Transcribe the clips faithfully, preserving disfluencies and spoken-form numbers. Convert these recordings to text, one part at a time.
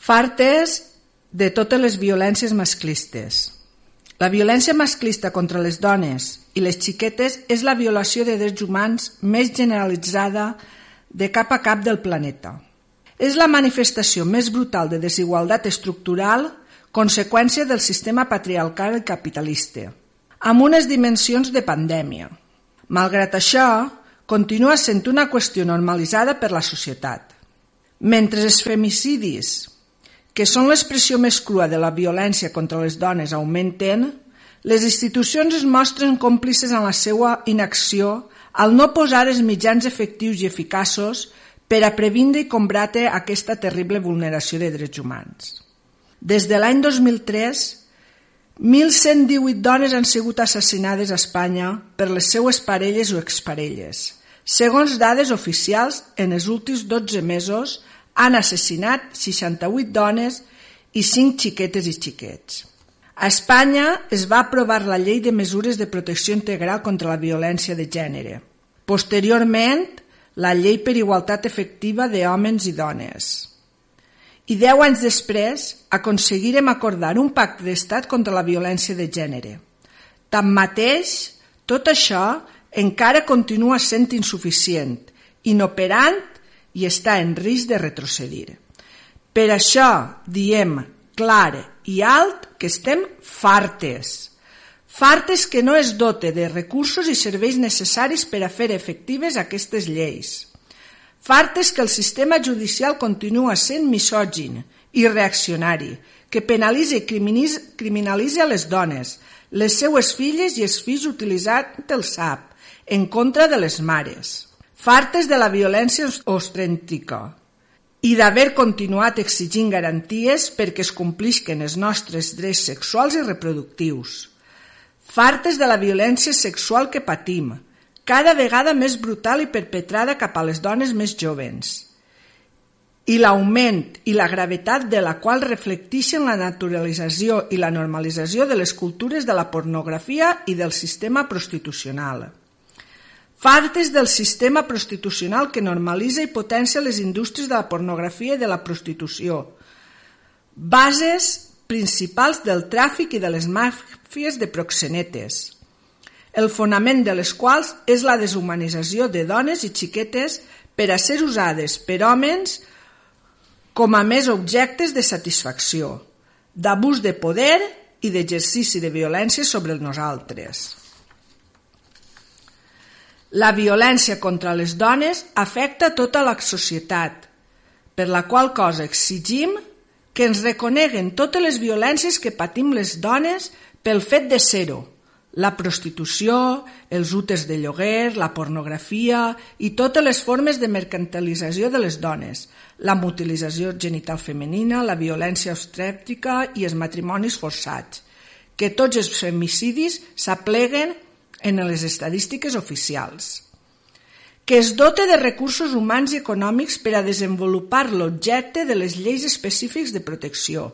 Fartes de totes les violències masclistes. La violència masclista contra les dones i les xiquetes és la violació de drets humans més generalitzada de cap a cap del planeta. És la manifestació més brutal de desigualtat estructural, conseqüència del sistema patriarcal i capitalista, amb unes dimensions de pandèmia. Malgrat això, continua sent una qüestió normalitzada per la societat. Mentre els femicidis, que són l'expressió més crua de la violència contra les dones, augmenten, les institucions es mostren còmplices en la seva inacció al no posar els mitjans efectius i eficaços per a previndre i combatre aquesta terrible vulneració de drets humans. Des de l'any dos mil tres, mil cent divuit dones han sigut assassinades a Espanya per les seues parelles o exparelles. Segons dades oficials, en els últims dotze mesos han assassinat seixanta-vuit dones i cinc xiquetes i xiquets. A Espanya es va aprovar la Llei de Mesures de Protecció Integral contra la Violència de Gènere. Posteriorment, la Llei per Igualtat Efectiva d'Homes i Dones. I deu anys després aconseguirem acordar un pacte d'estat contra la violència de gènere. Tanmateix, tot això encara continua sent insuficient, inoperant i està en risc de retrocedir. Per això diem clar i alt que estem fartes. Fartes que no es dote de recursos i serveis necessaris per a fer efectives aquestes lleis. Fartes que el sistema judicial continua sent misògin i reaccionari, que penalitza i criminalitza les dones, les seues filles i els fills utilitzant el S A P en contra de les mares. Fartes de la violència ostrèntica i d'haver continuat exigint garanties perquè es complisquen els nostres drets sexuals i reproductius. Fartes de la violència sexual que patim, cada vegada més brutal i perpetrada cap a les dones més joves, i l'augment i la gravetat de la qual reflecteixen la naturalització i la normalització de les cultures de la pornografia i del sistema prostitucional. Fartes del sistema prostitucional que normalitza i potencia les indústries de la pornografia i de la prostitució, bases principals del tràfic i de les màfies de proxenetes, el fonament de les quals és la deshumanització de dones i xiquetes per a ser usades per homes com a més objectes de satisfacció, d'abús de poder i d'exercici de violència sobre nosaltres. La violència contra les dones afecta tota la societat, per la qual cosa exigim que ens reconeguen totes les violències que patim les dones pel fet de ser-ho, la prostitució, els úters de lloguer, la pornografia i totes les formes de mercantilització de les dones, la mutilització genital femenina, la violència obstètrica i els matrimonis forçats, que tots els femicidis s'apleguen en les estadístiques oficials. Que es dote de recursos humans i econòmics per a desenvolupar l'objecte de les lleis específics de protecció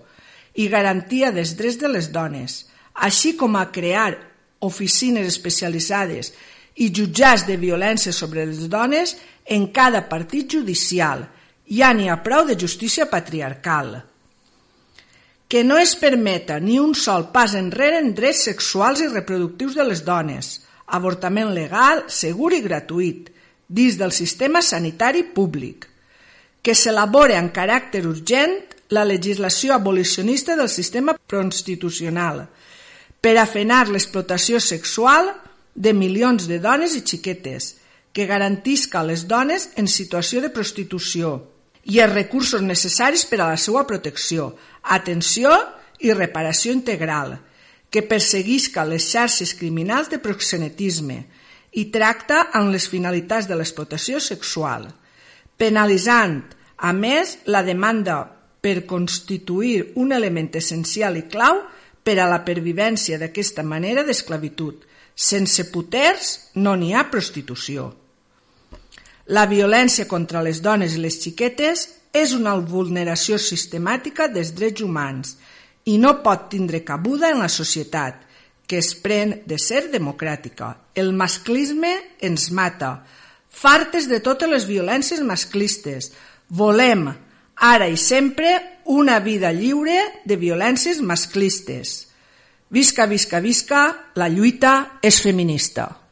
i garantia dels drets de les dones, així com a crear oficines especialitzades i jutjats de violència sobre les dones en cada partit judicial. Ja n'hi ha prou de justícia patriarcal. Que no es permeta ni un sol pas enrere en drets sexuals i reproductius de les dones, avortament legal, segur i gratuït, dins del sistema sanitari públic. Que s'elabore amb caràcter urgent la legislació abolicionista del sistema prostitucional per a frenar l'explotació sexual de milions de dones i xiquetes, que garantisca a les dones en situació de prostitució i els recursos necessaris per a la seva protecció, atenció i reparació integral, que perseguisca les xarxes criminals de proxenetisme i tracta amb les finalitats de l'explotació sexual, penalitzant, a més, la demanda per constituir un element essencial i clau per a la pervivència d'aquesta manera d'esclavitud. Sense puters no n'hi ha prostitució. La violència contra les dones i les xiquetes és una vulneració sistemàtica dels drets humans i no pot tindre cabuda en la societat, que es pren de ser democràtica. El masclisme ens mata. Fartes de totes les violències masclistes, volem, ara i sempre, una vida lliure de violències masclistes. Visca, visca, visca, la lluita és feminista.